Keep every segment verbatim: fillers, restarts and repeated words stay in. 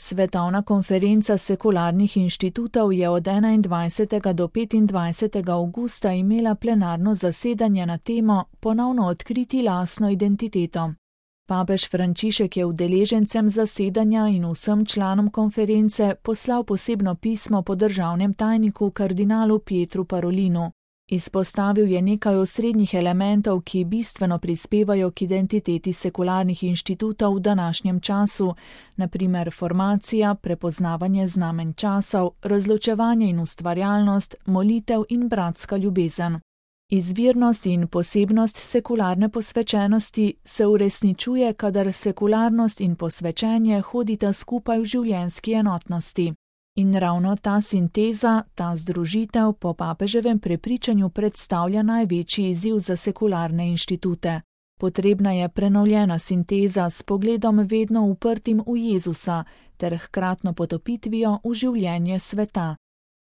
Svetovna konferenca sekularnih inštitutov je od enaindvajsetega do petindvajsetega avgusta imela plenarno zasedanje na temo Ponovno odkriti lastno identiteto. Papež Frančišek je udeležencem zasedanja in vsem članom konference poslal posebno pismo po državnem tajniku kardinalu Pietru Parolinu. Izpostavil je nekaj osrednjih elementov, ki bistveno prispevajo k identiteti sekularnih inštitutov v današnjem času, na primer formacija, prepoznavanje znamenj časov, razločevanje in ustvarjalnost, molitev in bratska ljubezen. Izvirnost in posebnost sekularne posvečenosti se uresničuje, kadar sekularnost in posvečenje hodita skupaj v življenjski enotnosti. In ravno ta sinteza, ta združitev po papeževem prepričanju predstavlja največji izziv za sekularne inštitute. Potrebna je prenovljena sinteza s pogledom vedno uprtim v Jezusa ter hkratno potopitvijo v življenje sveta.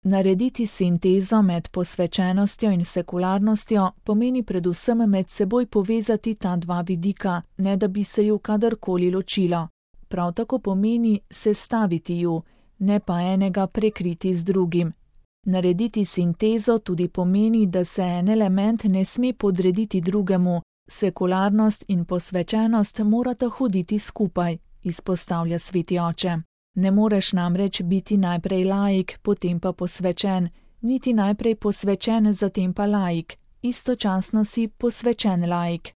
Narediti sintezo med posvečenostjo in sekularnostjo pomeni predvsem med seboj povezati ta dva vidika, ne da bi se ju kadarkoli ločilo. Prav tako pomeni sestaviti ju, ne pa enega prekriti z drugim. Narediti sintezo tudi pomeni, da se en element ne sme podrediti drugemu, sekularnost in posvečenost morata hoditi skupaj, izpostavlja sveti oče. Ne moreš namreč biti najprej laik, potem pa posvečen, niti najprej posvečen, zatem pa laik, istočasno si posvečen laik.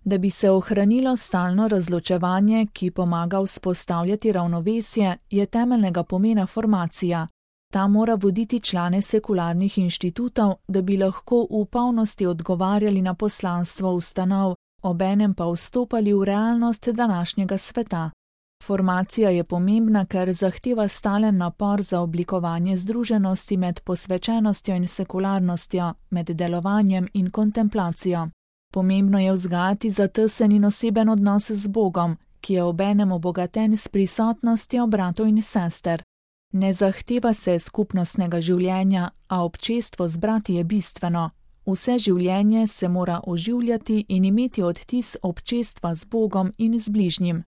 Da bi se ohranilo stalno razločevanje, ki pomaga vzpostavljati ravnovesje, je temeljnega pomena formacija. Ta mora voditi člane sekularnih inštitutov, da bi lahko v polnosti odgovarjali na poslanstvo ustanov, obenem pa vstopali v realnost današnjega sveta. Formacija je pomembna, ker zahteva stalen napor za oblikovanje združenosti med posvečenostjo in sekularnostjo, med delovanjem in kontemplacijo. Pomembno je vzgajati zatesen in oseben odnos z Bogom, ki je obenem obogaten s prisotnostjo bratov in sester. Ne zahteva se skupnostnega življenja, a občestvo z brati je bistveno. Vse življenje se mora oživljati in imeti odtis občestva z Bogom in z bližnjim.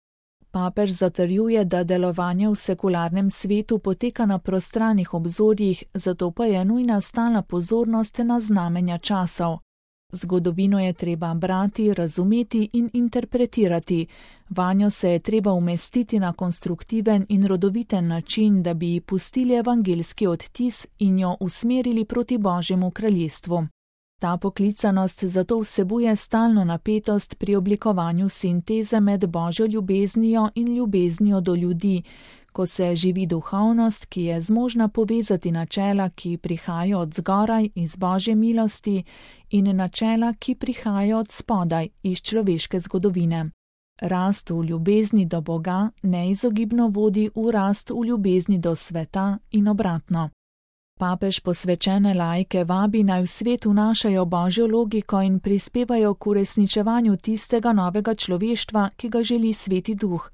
Papež zatrjuje, da delovanje v sekularnem svetu poteka na prostranih obzorjih, zato pa je nujna stalna pozornost na znamenja časov. Zgodovino je treba brati, razumeti in interpretirati, vanjo se je treba umestiti na konstruktiven in rodoviten način, da bi ji pustili evangeljski odtis in jo usmerili proti Božjemu kraljestvu. Ta poklicanost zato vsebuje stalno napetost pri oblikovanju sinteze med Božjo ljubeznijo in ljubeznijo do ljudi, ko se živi duhovnost, ki je zmožna povezati načela, ki prihajajo od zgoraj iz Božje milosti, in načela, ki prihajajo od spodaj iz človeške zgodovine. Rast v ljubezni do Boga neizogibno vodi v rast v ljubezni do sveta in obratno. Papež posvečene laike vabi, naj v svet vnašajo Božjo logiko in prispevajo k uresničevanju tistega novega človeštva, ki ga želi Sveti Duh.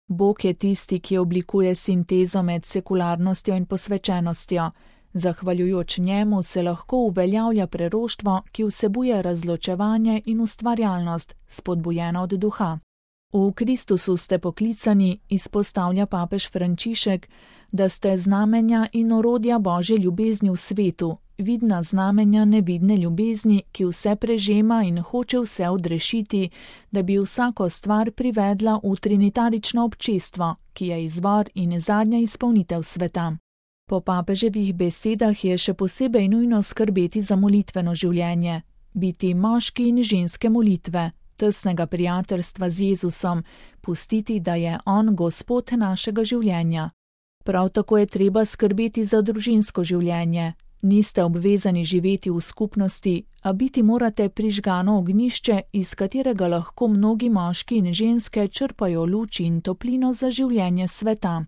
Bog je tisti, ki oblikuje sintezo med sekularnostjo in posvečenostjo. Zahvaljujoč njemu se lahko uveljavlja preroštvo, ki vsebuje razločevanje in ustvarjalnost, spodbujena od duha. V Kristusu ste poklicani, izpostavlja papež Frančišek, da ste znamenja in orodja Božje ljubezni v svetu, vidna znamenja nevidne ljubezni, ki vse prežema in hoče vse odrešiti, da bi vsako stvar privedla v trinitarično občestvo, ki je izvor in zadnja izpolnitev sveta. Po papeževih besedah je še posebej nujno skrbeti za molitveno življenje, biti moški in ženske molitve, tesnega prijateljstva z Jezusom, pustiti, da je On Gospod našega življenja. Prav tako je treba skrbeti za družinsko življenje. Niste obvezani živeti v skupnosti, a biti morate prižgano ognjišče, iz katerega lahko mnogi moški in ženske črpajo luč in toplino za življenje sveta.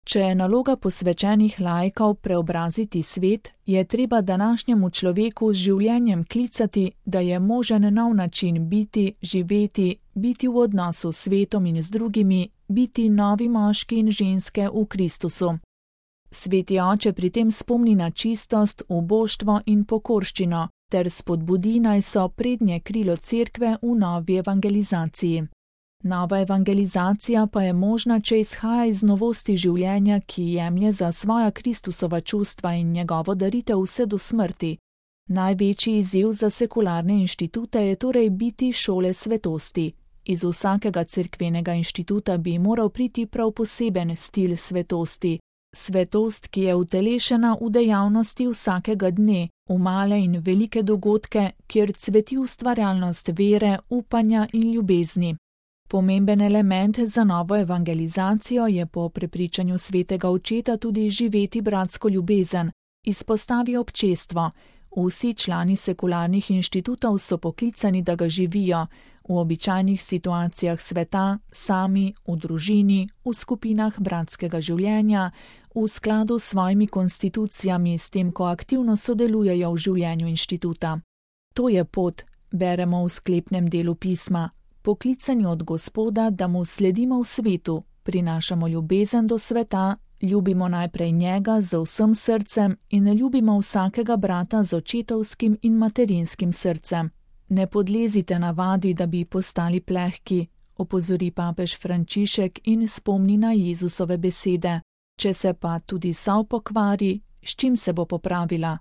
Če je naloga posvečenih laikov preobraziti svet, je treba današnjemu človeku z življenjem klicati, da je možen nov način biti, živeti, biti v odnosu s svetom in z drugimi, biti novi moški in ženske v Kristusu. Sveti oče pri tem spomni na čistost, uboštvo in pokorščino, ter spodbudi, naj so prednje krilo cerkve v novi evangelizaciji. Nova evangelizacija pa je možna, če izhaja iz novosti življenja, ki jemlje za svoja Kristusova čustva in njegovo daritev vse do smrti. Največji izziv za sekularne inštitute je torej biti šole svetosti. Iz vsakega cerkvenega inštituta bi moral priti prav poseben stil svetosti. Svetost, ki je utelešena v dejavnosti vsakega dne, v male in velike dogodke, kjer cveti ustvarjalnost vere, upanja in ljubezni. Pomemben element za novo evangelizacijo je po prepričanju svetega očeta tudi živeti bratsko ljubezen, izpostavi občestvo. Vsi člani sekularnih inštitutov so poklicani, da ga živijo, v običajnih situacijah sveta, sami, v družini, v skupinah bratskega življenja, v skladu s svojimi konstitucijami, s tem, ko aktivno sodelujejo v življenju inštituta. To je pot, beremo v sklepnem delu pisma, poklicani od Gospoda, da mu sledimo v svetu, prinašamo ljubezen do sveta, ljubimo najprej njega z vsem srcem in ljubimo vsakega brata z očetovskim in materinskim srcem. Ne podlezite navadi, da bi postali plehki, opozori papež Frančišek in spomni na Jezusove besede. Če se pa tudi sav pokvari, s čim se bo popravila?